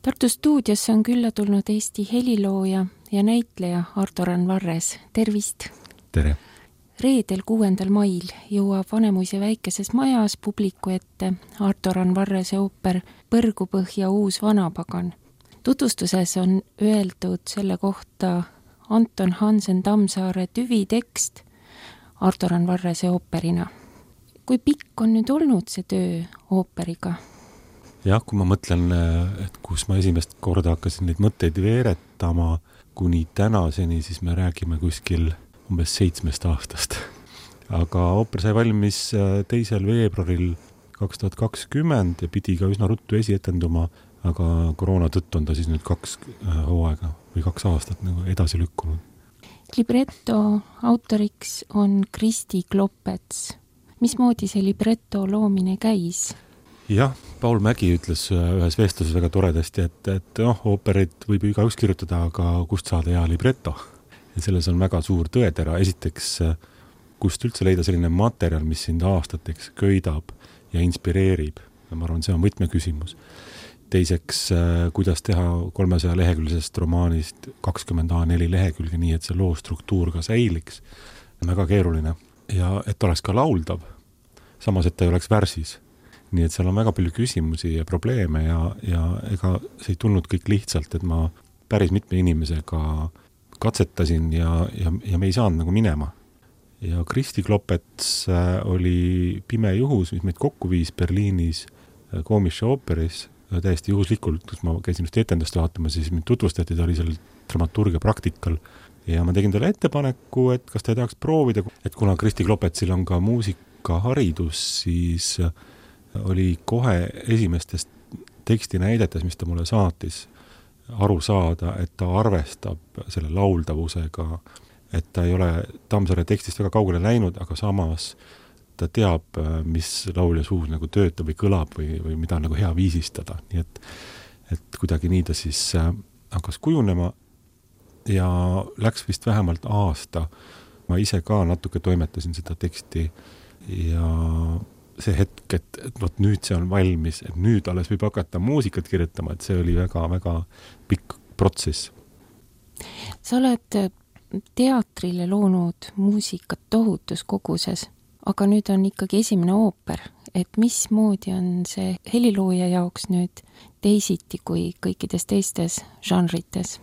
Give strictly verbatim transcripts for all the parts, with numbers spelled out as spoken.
Tartu stuudiosse on külla tulnud Eesti helilooja ja näitleja Arto-Rann Varres. Tervist! Tere! Reedel kuuendal mail jõuab Vanemuise väikeses majas publiku ette Arto-Rann Varrese ooper Põrgupõhja uus vanapagan. Tutvustuses on öeldud selle kohta Anton Hansen Tammsaare tüvitekst Arto-Rann Varrese ooperina. Kui pikk on nüüd olnud see töö ooperiga? Jah, kui ma mõtlen, et kus ma esimest korda hakkasin neid mõtteid veeretama kuni tänaseni, siis me räägime kuskil umbes seitsmest aastast. Aga ooper sai valmis teisel veebruaril kaks tuhat kakskümmend ja pidi ka üsna ruttu esietenduma, aga koroona tõttu on ta siis nüüd kaks hooaega või kaks aastat nagu edasi lükkunud. Libretto autoriks on Kristi Klopets. Mismoodi see libretto loomine käis? Jah, Paul Mägi ütles ühes vestluses väga toredasti, et, et noh, ooperit võib ju igaüks kirjutada, aga kust saada hea libretto? Ja selles on väga suur tõetera. Esiteks, kust üldse leida selline materjal, mis sind aastateks köidab ja inspireerib. Ja ma arvan, see on võtmeküsimus. Teiseks, kuidas teha kolmesaja leheküljesest romaanist kakskümmend A neli lehekülge nii, et see loo struktuur ka säiliks. Väga keeruline. Ja et oleks ka lauldav, samas et ta ei oleks värsis. Nii et seal on väga palju küsimusi ja probleeme ja, ja ega see ei tulnud kõik lihtsalt, et ma päris mitme inimesega katsetasin ja, ja, ja me ei saanud nagu minema. Ja Kristi Klopets oli pime juhus, mis meid kokku viis Berliinis Komische ooperis, täiesti juhuslikult, kus ma käisin just etendust vaatama, siis mind tutvustati, ta oli seal dramaturgia praktikal ja ma tegin talle ettepaneku, et kas ta ei tahaks proovida, et kuna Kristi Klopetsil on ka muusikaharidus, siis oli kohe esimestest tekstinäidetes, mis ta mulle saatis, aru saada, et ta arvestab selle lauldavusega, et ta ei ole Tammsaare tekstist väga kaugele läinud, aga samas ta teab, mis laulja suus nagu töötab või kõlab või, või mida nagu hea viisistada. Nii et, et kuidagi nii ta siis hakkas kujunema ja läks vist vähemalt aasta. Ma ise ka natuke toimetasin seda teksti ja see hetk, et, et võt, nüüd see on valmis, et nüüd alles võib hakata muusikat kirjutama, et see oli väga, väga pikk protsess. Sa oled teatrile loonud muusikat tohutus koguses, aga nüüd on ikkagi esimene ooper, et mismoodi on see helilooja jaoks nüüd teisiti kui kõikides teistes žanrites?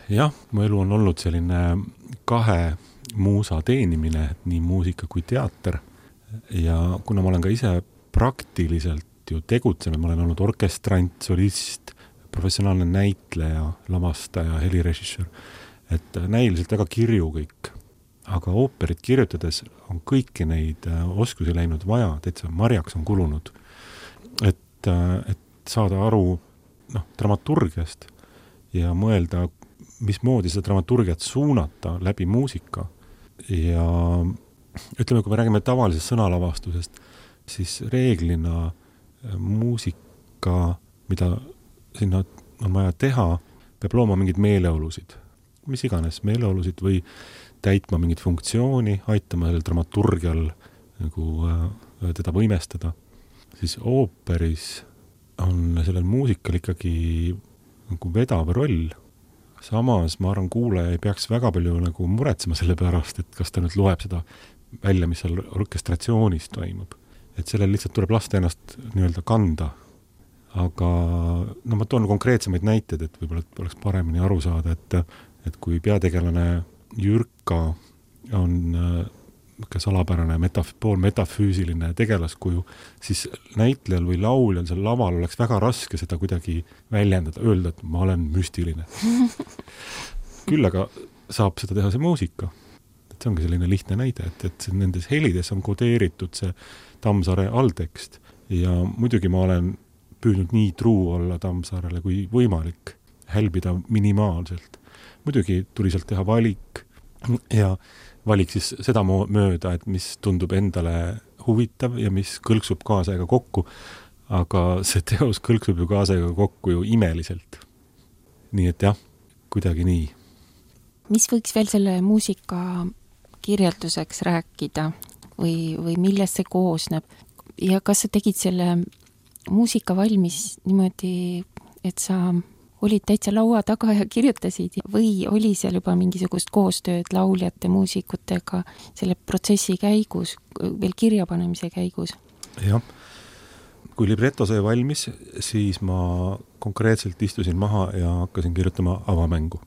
Jah, mu elu on olnud selline kahe muusa teenimine, nii muusika kui teater. Ja kuna ma olen ka ise praktiliselt ju tegutsenud, ma olen olnud orkestrant, solist, professionaalne näitleja, lavastaja, helirežissöör, et näiliselt väga kirju kõik. Aga ooperit kirjutades on kõiki neid oskusi läinud vaja, täitsa marjaks on kulunud. Et, et saada aru noh, dramaturgiast ja mõelda, mismoodi seda dramaturgiat suunata läbi muusika ja ütleme, kui me räägime tavalisest sõnalavastusest, siis reeglina muusika, mida sinna on vaja teha, peab looma mingid meeleolusid. Mis iganes meeleolusid või täitma mingit funktsiooni, aitama sellel dramaturgial nagu, äh, teda võimestada. Siis ooperis on sellel muusikal ikkagi nagu vedav roll. Samas, ma arvan, kuulaja ei peaks väga palju nagu muretsema selle pärast, et kas ta nüüd loeb seda välja, mis seal orkestratsioonis toimub. Et sellel lihtsalt tuleb lasta ennast nii-öelda kanda. Aga no ma toon konkreetsemaid näiteid, et võib-olla oleks paremini aru saada, et, et kui peategelane Jürka on ka salapärane metaf- pool metafüüsiline tegelaskuju, siis näitlejal või lauljal seal laval oleks väga raske seda kuidagi väljendada, öelda, et ma olen müstiline. Küll aga saab seda teha see muusika. See ongi selline lihtne näide, et, et nendes helides on kodeeritud see Tammsaare alltekst ja muidugi ma olen püüdnud nii truu olla Tammsaarele kui võimalik, hälbida minimaalselt. Muidugi tuli sealt teha valik ja valik siis seda mööda, et mis tundub endale huvitav ja mis kõlksub kaasaega kokku, aga see teos kõlksub ju kaasaega kokku ju imeliselt. Nii et jah, kuidagi nii. Mis võiks veel selle muusika kirjelduseks rääkida või, või millest see koosneb? Ja kas sa tegid selle muusika valmis niimoodi et sa olid täitsa laua taga ja kirjutasid või oli seal juba mingisugust koostööd lauljate, muusikutega selle protsessi käigus, veel kirjapanemise käigus? Jah, kui libretto sai valmis, siis ma konkreetselt istusin maha ja hakkasin kirjutama avamängu.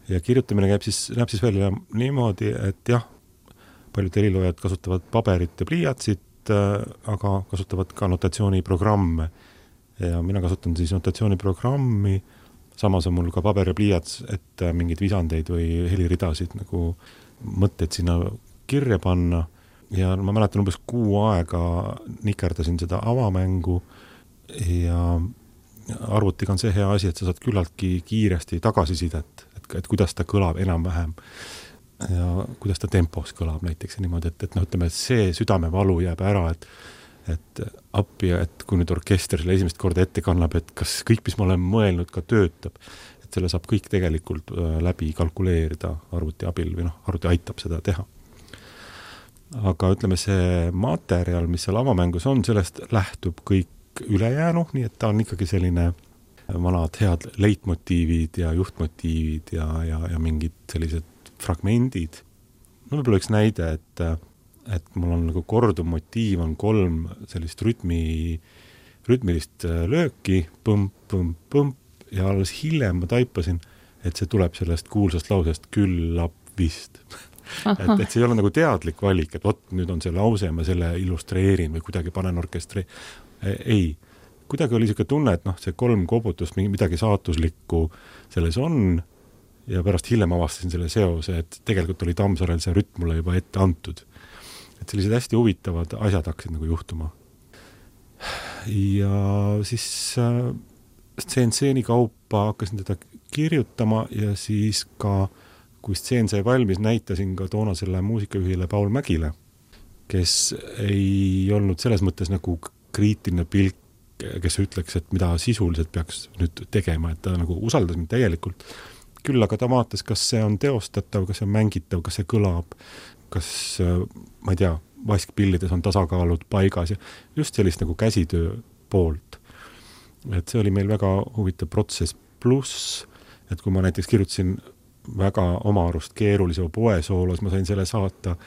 Ja kirjutamine käib siis, näeb siis välja niimoodi, et jah, paljud heliloojad kasutavad paberit ja pliiatsit, aga kasutavad ka notatsiooniprogramme. Ja mina kasutan siis notatsiooniprogrammi, samas on mul ka paber ja pliiats, et mingid visandeid või heliridasid nagu mõtteid sinna kirja panna. Ja ma mäletan umbes kuu aega nikerdasin seda avamängu ja arvutiga on see hea asi, et sa saad küllaltki kiiresti tagasisidet, et, et kuidas ta kõlab enam-vähem ja kuidas ta tempos kõlab näiteks ja niimoodi, et, et no ütleme, et see südamevalu jääb ära, et et appi, et kui nüüd orkester selle esimest korda ette kannab, et kas kõik, mis ma olen mõelnud, ka töötab, et selle saab kõik tegelikult läbi kalkuleerida arvuti abil või noh, arvuti aitab seda teha. Aga ütleme, see materjal, mis seal avamängus on, sellest lähtub kõik ülejäänu, nii et ta on ikkagi selline vanad head leitmotiivid ja juhtmotiivid ja, ja, ja mingid sellised fragmendid. No võib-olla üks näide, et et mul on nagu korduv motiiv, on kolm sellist rütmi, rütmilist lööki, põmp, põmp, põmp, ja alles hiljem ma taipasin, et see tuleb sellest kuulsast lausest küllap vist. et, et see ei ole nagu teadlik valik, et vot nüüd on see lause, ma selle illustreerin või kuidagi panen orkestri. Ei, kuidagi oli siuke tunne, et noh, see kolm kobutust, midagi saatuslikku selles on, ja pärast hiljem avastasin selle seose, et tegelikult oli Tammsaarel see rütm mulle juba ette antud. Et sellised hästi huvitavad asjad hakkasid nagu juhtuma. Ja siis äh, stseen-stseeni kaupa hakkasin teda kirjutama ja siis ka, kui stseen sai valmis, näitasin ka toonasele muusikajuhile Paul Mägile, kes ei olnud selles mõttes nagu kriitiline pilk, kes ütleks, et mida sisuliselt peaks nüüd tegema, et ta nagu usaldas mind täielikult. Küll aga ta vaatas, kas see on teostatav, kas see on mängitav, kas see kõlab, kas, ma ei tea, vaskpillides on tasakaalud paigas ja just sellist nagu käsitöö poolt. Et see oli meil väga huvitav protsess, pluss, et kui ma näiteks kirjutasin väga oma arust keerulise oboe-soolos, ma sain selle saata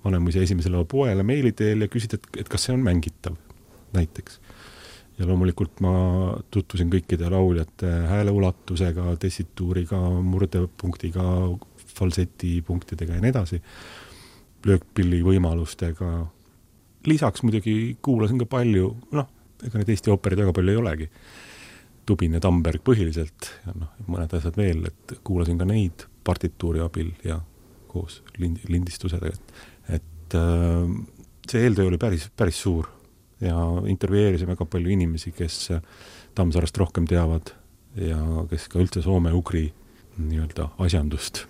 Vanemuise esimesele oboele meili teel ja küsida, et, et kas see on mängitav näiteks. Ja loomulikult ma tutvusin kõikide lauljate hääleulatusega, tessituuriga, murdepunktiga, falsetipunktidega ja nii edasi, löökpilli võimalustega. Lisaks muidugi kuulasin ka palju, noh, ega need Eesti ooperid väga palju ei olegi. Tubin ja Tamberg põhiliselt ja noh, mõned asjad veel, et kuulasin ka neid partituuri abil ja koos lindistusega. Et, et see eeltöö oli päris, päris suur ja intervjueerisin väga palju inimesi, kes Tammsaarast rohkem teavad ja kes ka üldse soome-ugri nii-öelda asjandust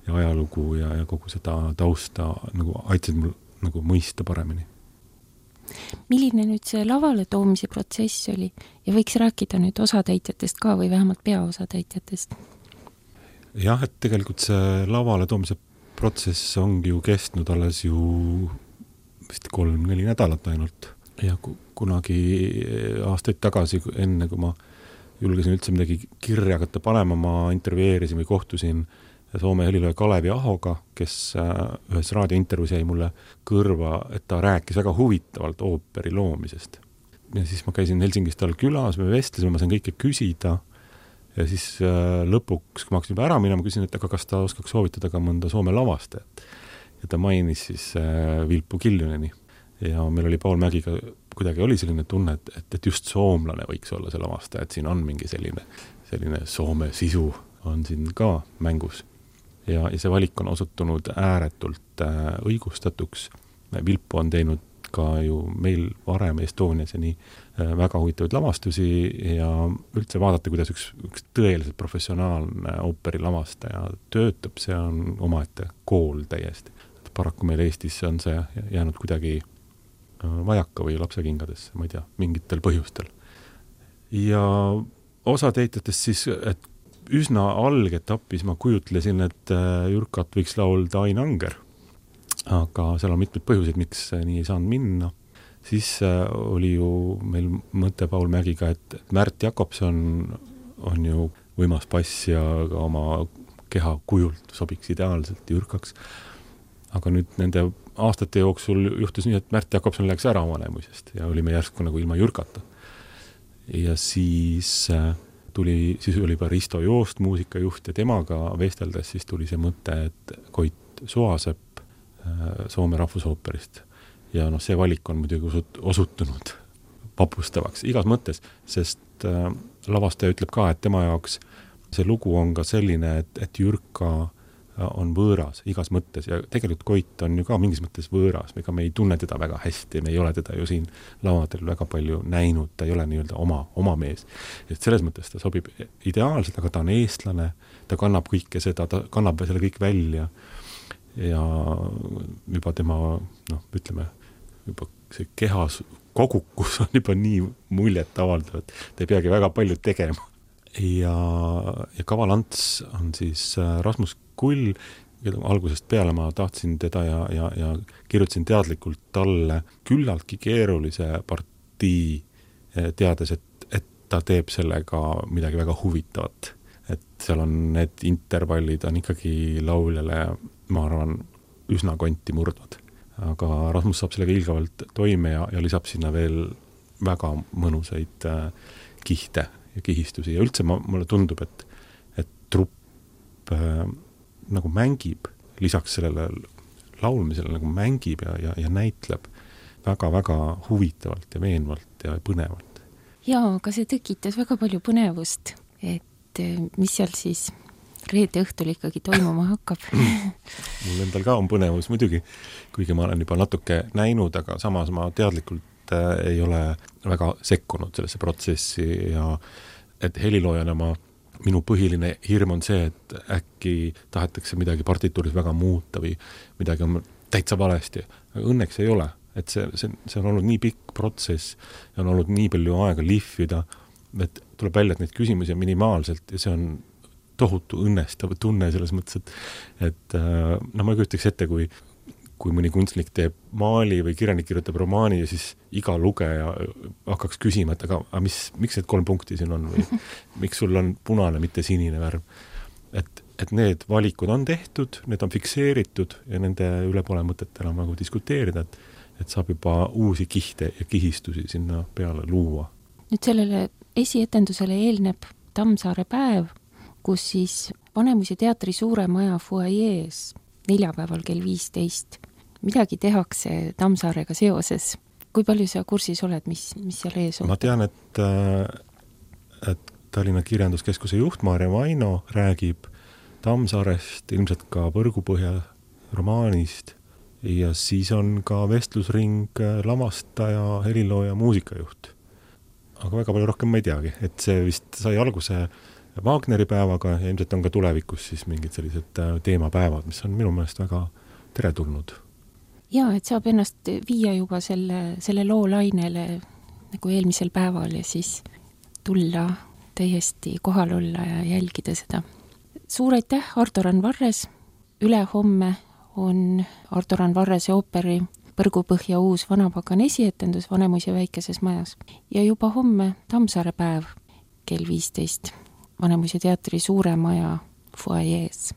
ja ajalugu ja, ja kogu seda tausta nagu aitasid mul nagu mõista paremini. Milline nüüd see lavale toomise protsess oli ja võiks rääkida nüüd osatäitjatest ka või vähemalt peaosatäitjatest? Jah, et tegelikult see lavale toomise protsess ongi ju kestnud alles ju vist kolm-neli nädalat ainult. Ja kunagi aastaid tagasi, enne kui ma julgesin üldse midagi kirja hakata panema, ma intervjueerisin või kohtusin Soome helilooja Kalevi Ahoga, kes ühes raadiointervjuus jäi mulle kõrva, et ta rääkis väga huvitavalt ooperi loomisest. Ja siis ma käisin Helsingis tal külas, me vestlesime, ma sain kõike küsida ja siis lõpuks, kui ma hakkasin juba ära minema, küsin, et aga kas ta oskaks soovitada ka mõnda Soome lavastajat. Ja ta mainis siis Vilpu Kiljuneni. Ja meil oli Paul Mägiga, kuidagi oli selline tunne, et, et, et just soomlane võiks olla see lavastaja, et siin on mingi selline, selline Soome sisu on siin ka mängus. Ja, ja see valik on osutunud ääretult äh, õigustatuks. Vilpu on teinud ka ju meil varem Estonias ja nii äh, väga huvitavaid lavastusi ja üldse vaadata, kuidas üks, üks tõeliselt professionaalne ooperi lavastaja töötab, see on omaette kool täiesti. Paraku meil Eestis on see jäänud kuidagi vajaka või lapsekingades, ma ei tea, mingitel põhjustel. Ja osa teitjatest siis, et üsna algetapis ma kujutlesin, et Jürkat võiks laulda Ain Anger. Aga seal on mitmed põhjused, miks nii ei saanud minna. siis oli ju meil mõte Paul Mägiga, et Märt Jakobson on ju võimas bass ja ka oma keha kujult sobiks ideaalselt Jürkaks. Aga nüüd nende aastate jooksul juhtus nii, et Märt Jakobson läks ära Vanemuisest ja olime järsku nagu ilma Jürkata. Ja siis tuli, siis oli juba Risto Joost muusikajuht ja temaga vesteldes siis tuli see mõte, et Koit Soasepp Soome rahvusooperist. Ja noh, see valik on muidugi osutunud vapustavaks igas mõttes, sest lavastaja ütleb ka, et tema jaoks see lugu on ka selline, et, et Jürka on võõras igas mõttes ja tegelikult Koit on ju ka mingis mõttes võõras, ega me ei tunne teda väga hästi, me ei ole teda ju siin lavadel väga palju näinud, ta ei ole nii-öelda oma, oma mees. Et selles mõttes ta sobib ideaalselt, aga ta on eestlane, ta kannab kõike seda, ta kannab selle kõik välja ja juba tema, noh, ütleme, juba see kehas kogukus on juba nii muljet avaldav, et ta ei peagi väga palju tegema. Ja, ja Kavalants on siis Rasmus Kull, keda algusest peale ma tahtsin teda ja, ja, ja kirjutasin teadlikult talle küllaltki keerulise partii, teades, et, et ta teeb sellega midagi väga huvitavat. Et seal on need intervallid on ikkagi lauljale, ma arvan, üsna konti murdvad. Aga Rasmus saab sellega ilgavalt toime ja, ja lisab sinna veel väga mõnusaid äh, kihte ja kihistusi ja üldse ma, mulle tundub, et, et trupp äh, nagu mängib, lisaks sellele laulmisele nagu mängib ja, ja, ja näitleb väga-väga huvitavalt ja veenvalt ja põnevalt. Jaa, aga see tekitas väga palju põnevust, et mis seal siis reede õhtul ikkagi toimuma hakkab. Mul endal ka on põnevus muidugi, kuigi ma olen juba natuke näinud, aga samas ma teadlikult ei ole väga sekkunud sellesse protsessi ja et heliloojana ma, minu põhiline hirm on see, et äkki tahetakse midagi partituuris väga muuta või midagi on täitsa valesti. Õnneks ei ole, et see, see, see on olnud nii pikk protsess ja on olnud nii palju aega lihvida, et tuleb välja, et neid küsimusi on minimaalselt ja see on tohutu õnnestav tunne selles mõttes, et, et no ma kujutaks ette, kui kui mõni kunstnik teeb maali või kirjanik kirjutab romaani ja siis iga lugeja hakkaks küsima, et aga, aga mis, miks need kolm punkti siin on või miks sul on punane, mitte sinine värv. Et, et need valikud on tehtud, need on fikseeritud ja nende üle pole mõtet enam nagu diskuteerida, et, et saab juba uusi kihte ja kihistusi sinna peale luua. Nüüd sellele esietendusele eelneb Tammsaare päev, kus siis Vanemuise teatri suure maja fuajees neljapäeval kell viisteist midagi tehakse Tammsaarega seoses. Kui palju sa kursis oled, mis, mis seal ees on? Ma tean, et, et Tallinna Kirjanduskeskuse juht Maarja Vaino räägib Tammsaarest, ilmselt ka Põrgupõhja romaanist ja siis on ka vestlusring lavastaja, helilooja, muusikajuht. Aga väga palju rohkem ma ei teagi, et see vist sai alguse Wagneri päevaga ja ilmselt on ka tulevikus siis mingid sellised teemapäevad, mis on minu meelest väga teretulnud. Jaa, et saab ennast viia juba selle, selle loo lainele nagu eelmisel päeval ja siis tulla täiesti kohal olla ja jälgida seda. Suur aitäh, Ardo-Rann Varres! Üle homme on Ardo-Rann Varrese ooperi Põrgupõhja uus vanapagan esietendus Vanemuise väikeses majas ja juba homme Tammsaare päev kell viisteist Vanemuise teatri suure maja fuajees.